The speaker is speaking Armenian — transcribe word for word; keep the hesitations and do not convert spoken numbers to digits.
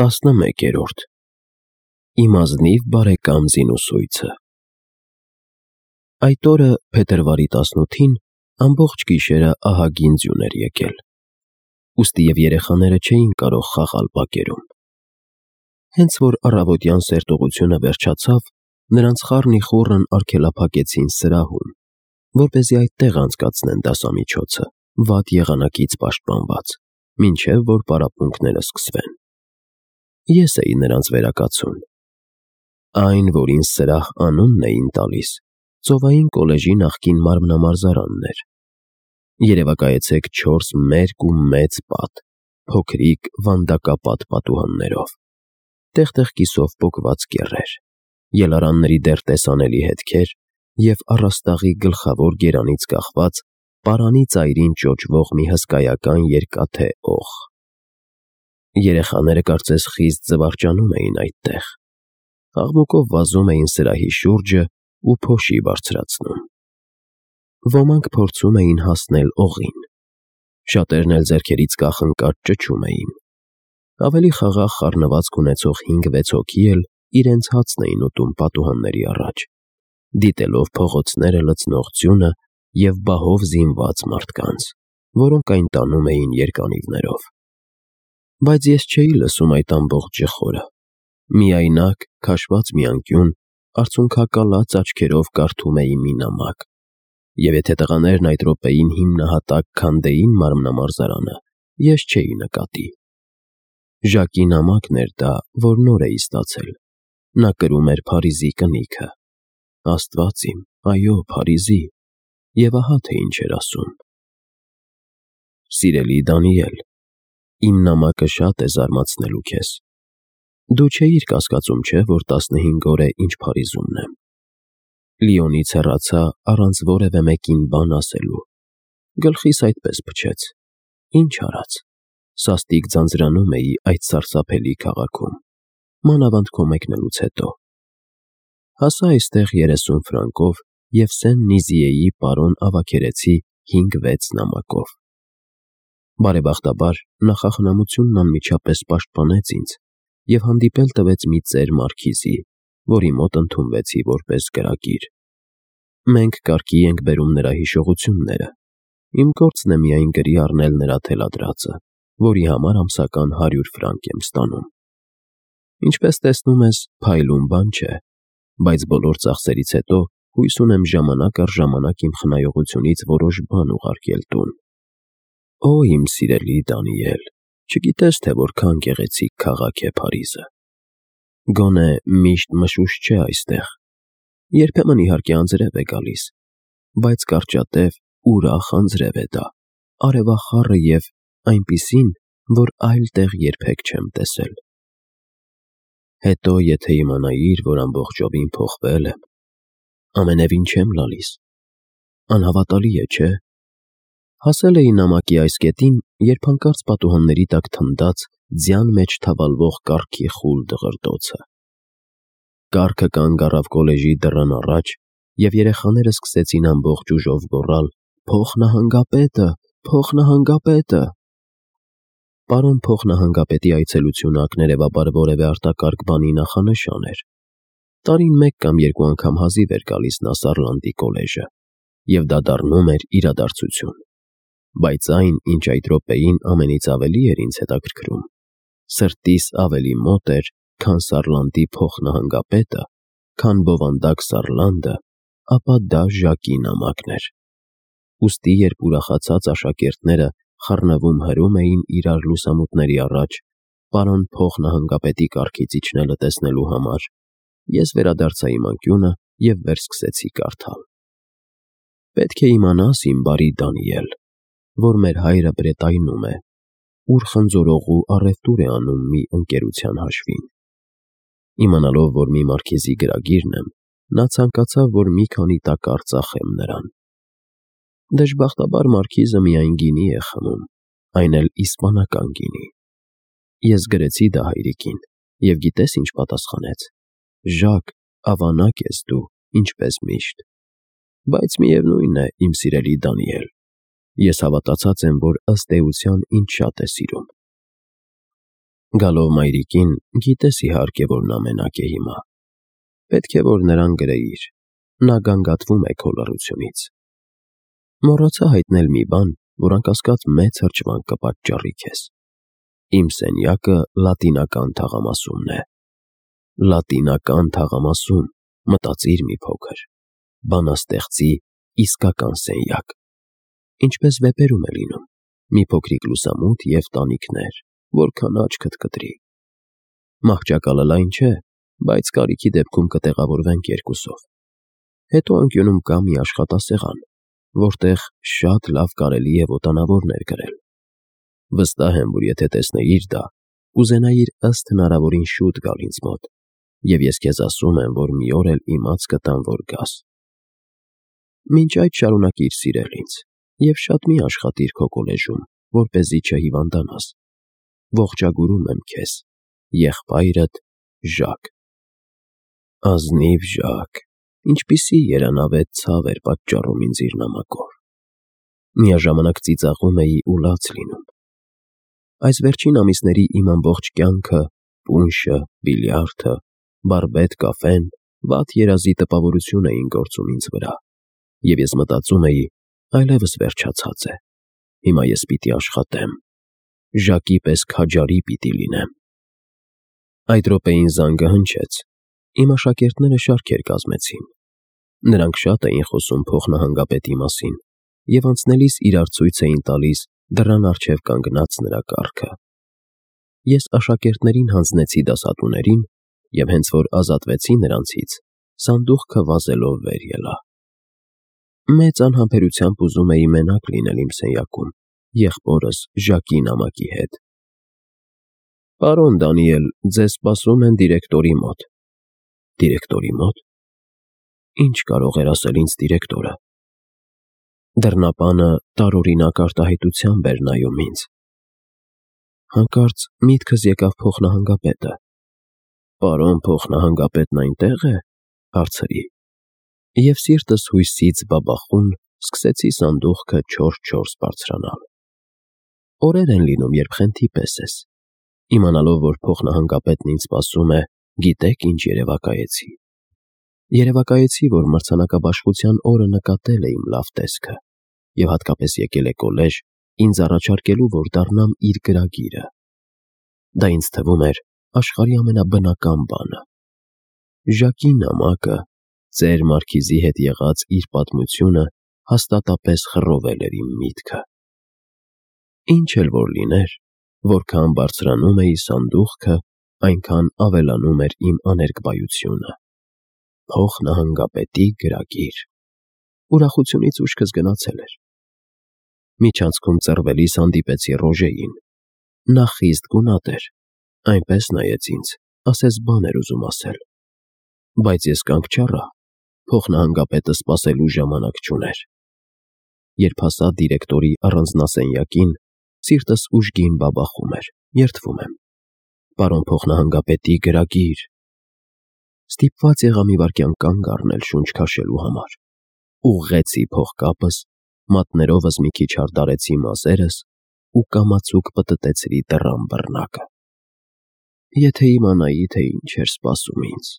տասնմեկերորդ Իմ ազնիվ բարեկամ Զինուսույցը Այդ օրը փետրվարի տասնութին ամբողջ գիշերը ահագին ձյուն էր եկել, ուստի և երեխաները չէին կարող խաղալ բակերում։ Հենց որ առավոտյան սերտողությունը վերջացավ, նրանց խառնիխուռն արգելափակեցին սրահում, որպեսզի այդտեղ անցկացնեն դասամիջոցը, վատ եղանակից պաշտպանված, մինչև որ պարապմունքները սկսվեն։ Ես էի նրանց վերակացուն։ Այն, որին սրահ անունն էին տալիս, ծովային կոլեժի նախկին մարմնամարզարանն էր։ Երևակայեցեք չորս մերկ ու մեծ պատ, փոքրիկ վանդակապատ պատուհաններով, տեղ-տեղ կիսով պոկված կեռեր, ելարանների դեռ տեսանելի հետքեր և առաստաղի գլխավոր գերանից կախված պարանի ծայրին ճոճվող մի հսկայական երկաթե օղ։ Երեխաները կարծես խիստ զվարճանում էին այդտեղ, աղմուկով վազում էին սրահի շուրջը ու փոշի բարձրացնում։ Ոմանք փորձում էին հասնել օղին, շատերն էլ ձեռքերից կախնկած ճչում էին։ Ավելի խաղաղ խառնվածք ունեցող հինգ֊վեց հոգի էլ իրենց հացն էին ուտում պատուհանների առաջ, դիտելով փողոցները լցնող ձյունը և բահով զինված մարդկանց, որոնք այն տանում էին երկանիվներով։ Բայց ես չէի լսում այդ ամբողջ ջխորը, միայնակ, քաշված մի անկյուն, արցունքակալած աչքերով կարդում էի մի նամակ, և եթե տղաներն այդ րոպեին հիմնահատակ քանդեին մարմնամարզարանը, ես չէի նկատի։ Ժակի նամակն էր դա, որ նոր էի ստացել, նա կրում էր Փարիզի կնիքը, Աստված իմ, այո, Փարիզի, և ահա թե ինչ էր ասում. Սիրելի Դանիել, իմ նամակը շատ է զարմացնելու քեզ։ Դու չէիր կասկածում, չէ՞, որ տասնհինգ օր է, ինչ Փարիզումն եմ։ Լիոնից հեռացա առանց որևէ մեկին բան ասելու, գլխիս այդպես փչեց, ինչ արած, սաստիկ ձանձրանում էի այդ սարսափելի քաղաքում, մանավանդ քո մեկնելուց հետո։ Հասա այստեղ երեսուն ֆրանկով և Սեն-Նիզիեի պարոն ավագերեցի հինգ֊վեց նամակով։ Բարեբախտաբար, նախախնամությունն անմիջապես պաշտպանեց ինձ և հանդիպել տվեց մի ծեր մարքիզի, որի մոտ ընդունվեցի որպես կրակիր։ Մենք կարգի ենք բերում նրա հիշողությունները, իմ գործն է միայն գրի առնել նրա թելադրածը, որի համար ամսական հարյուր ֆրանկ եմ ստանում։ Ինչպես տեսնում ես, փայլուն բան չէ, բայց բոլոր ծախսերից հետո հույս ունեմ ժամանակ առ ժամանակ իմ խնայողությունից որոշ բան ուղարկել տուն։ Օ, իմ սիրելի Դանիել, չգիտես, թե որքան գեղեցիկ քաղաք է Փարիզը։ Գոնե միշտ մշուշ չէ այստեղ, երբեմն իհարկե անձրև է գալիս, բայց կարճատև, ուրախ անձրև է դա, արևախառը և այնպիսին, որ այլ տեղ երբեք չեմ տեսել։ Հետո եթե իմանայիր, որ ամբողջովին փոխվել եմ, ամենևին չեմ լալիս։ Անհավատալի է, չէ՞։ Հասել էի նամակի այս կետին, երբ հանկարծ պատուհանների տակ թնդաց ձյան մեջ թավալվող կառքի խուլ դղրդոցը։ Կառքը կանգ առավ կոլեժի դռան առաջ, և երեխաները սկսեցին ամբողջ ուժով գոռալ. «Փոխնահանգապետը, փոխնահանգապետը»։ Պարոն փոխնահանգապետի այցելությունը ակներևաբար որևէ արտակարգ բանի նախանշան էր։ Տարին մեկ կամ երկու անգամ հազիվ էր գալիս նա Սարլանդի կոլեժը, և դա դառնում էր իրադարձություն։ Բայց այն, ինչ այդ րոպեին ամենից ավելի էր ինձ հետաքրքրում, սրտիս ավելի մոտ էր, քան Սարլանդի փոխնահանգապետը, քան բովանդակ Սարլանդը, ապա դա Ժակի նամակն էր։ Ուստի երբ ուրախացած աշակերտները խռնվում հրում էին իրար լուսամուտների առաջ, պարոն փոխնահանգապետի կառքից իջնելը տեսնելու համար, ես վերադարձա իմ անկյունը և վերսկսեցի կարդալ։ Պետք է իմանաս, իմ բարի Դանիել, որ մեր հայրը Բրետայնում է, ուր խնձորողու առևտուր է անում մի ընկերության հաշվին։ Իմանալով, որ մի մարքիզի գրագիրն եմ, նա ցանկացավ, որ մի քանի տակառ ծախեմ նրան։ Դժբախտաբար մարքիզը միայն գինի է խմում, այն էլ իսպանական գինի։ Ես գրեցի դա հայրիկին, և գիտես ինչ պատասխանեց. «Ժակ, ավանակ ես դու, ինչպես միշտ»։ Բայց միևնույն է, իմ սիրելի Դանիել, ես հավատացած եմ, որ ըստ էության ինձ շատ է սիրում։ Գալով մայրիկին, գիտես իհարկե, որ նա մենակ է հիմա։ Պետք է, որ նրան գրեիր, նա գանգատվում է քո լռությունից։ Մոռացա հայտնել մի բան, որ անկասկած մեծ հրճվանք կպատճառի քեզ։ Իմ սենյակը լատինական թաղամասումն է։ Լատինական թաղամասում, մտածիր մի փոքր, բանաստեղծի իսկական սենյակ։ Ինչպես վեպերում է լինում, մի փոքրիկ լուսամուտ և տանիքներ, որքան աչքդ կտրի։ Մահճակալը լայն չէ, բայց կարիքի դեպքում կտեղավորվենք երկուսով։ Հետո անկյունում կա մի աշխատասեղան, որտեղ շատ լավ կարելի է ոտանավորներ գրել։ Վստահ եմ, որ եթե տեսնեիր դա, կուզենայիր ըստ հնարավորին շուտ գալ ինձ մոտ, և ես քեզ ասում եմ, որ մի օր էլ իմաց կտամ, որ գաս։ Մինչ այդ շարունակիր սիրել ինձ և շատ մի աշխատիր քո կոլեժում, որպեսզի չհիվանդանաս։ Ողջագուրում եմ քեզ, եղբայրդ Ժակ։ Ազնիվ Ժակ, ինչպիսի երանավետ ցավ էր պատճառում ինձ իր նամակով։ Միաժամանակ ծիծաղում էի ու լաց լինում։ Այս վերջին ամիսների իմ ամբողջ կյանքը, պունշը, բիլիարդը, բարբետ կաֆեն, վատ երազի տպավորություն էին գործում ինձ վրա, և ես մտածում էի, այլևս վերջացած է, հիմա ես պիտի աշխատեմ, Ժակի պես քաջարի պիտի լինեմ։ Այդ րոպեին զանգը հնչեց, իմ աշակերտները շարքեր կազմեցին։ Նրանք շատ էին խոսում փոխնահանգապետի մասին և անցնելիս իրար ցույց էին տալիս դռան առջև կանգնած նրա կառքը։ Ես աշակերտներին հանձնեցի դասատուներին և հենց որ ազատվեցի նրանցից, սանդուղքը վազելով վեր ելա։ Մեծ անհամբերությամբ ուզում էի մենակ լինել իմ սենյակում, եղբորս Ժակի նամակի հետ։ Պարոն Դանիել, ձեզ սպասում են դիրեկտորի մոտ։ Դիրեկտորի մոտ։ Ինչ կարող էր ասել ինձ դիրեկտորը։ Դռնապանը տարօրինակ արտահայտությամբ էր նայում ինձ։ Հանկարծ միտքս եկավ փոխնահանգապետը։ Պարոն փոխնահանգապետն այնտե՞ղ է, հարցրի։ Եվ սիրտս հույսից բաբախուն սկսեցի սանդուղքը չորս֊չորս բարձրանալ։ Օրեր են լինում, երբ խենթի պես ես։ Իմանալով, որ փոխնահանգապետն ինձ սպասում է, գիտեք ինչ երևակայեցի։ Երևակայեցի, որ մրցանակաբաշխության օրը նկատել է իմ լավ տեսքը և հատկապես եկել է կոլեժ ինձ առաջարկելու, որ դառնամ իր գրագիրը։ Դա ինձ թվում էր աշխարհի ամենաբնական բանը։ Ժակի նամակը, ծեր Մարքիզի հետ եղած իր պատմությունը հաստատապես խռովել էր իմ միտքը։ Ինչ էլ որ լիներ, որքան բարձրանում էի սանդուղքը, այնքան ավելանում էր իմ աներկբայությունը։ Փոխնահանգապետի գրագիր։ Ուրախությունից ուշքս գնացել էր։ Միջանցքում ծռվելիս հանդիպեցի Ռոժեին։ Նա խիստ գունատ էր, այնպես նայեց ինձ, ասես բան էր ուզում ասել։ Բայց ես կանգ չառա, փոխնահանգապետը սպասելու ժամանակ չուներ։ Երբ հասա դիրեկտորի առանձնասենյակին, սիրտս ուժգին բաբախում էր, երդվում եմ։ Պարոն փոխնահանգապետի գրագիր։ Ստիպված եղա մի վայրկյան կանգ առնել շունչ քաշելու համար։ Ուղղեցի փողկապս, մատներովս մի քիչ հարդարեցի մազերս ու կամացուկ պտտեցրի դռան բռնակը։ Եթե իմանայի, թե ինչ էր սպասում ինձ։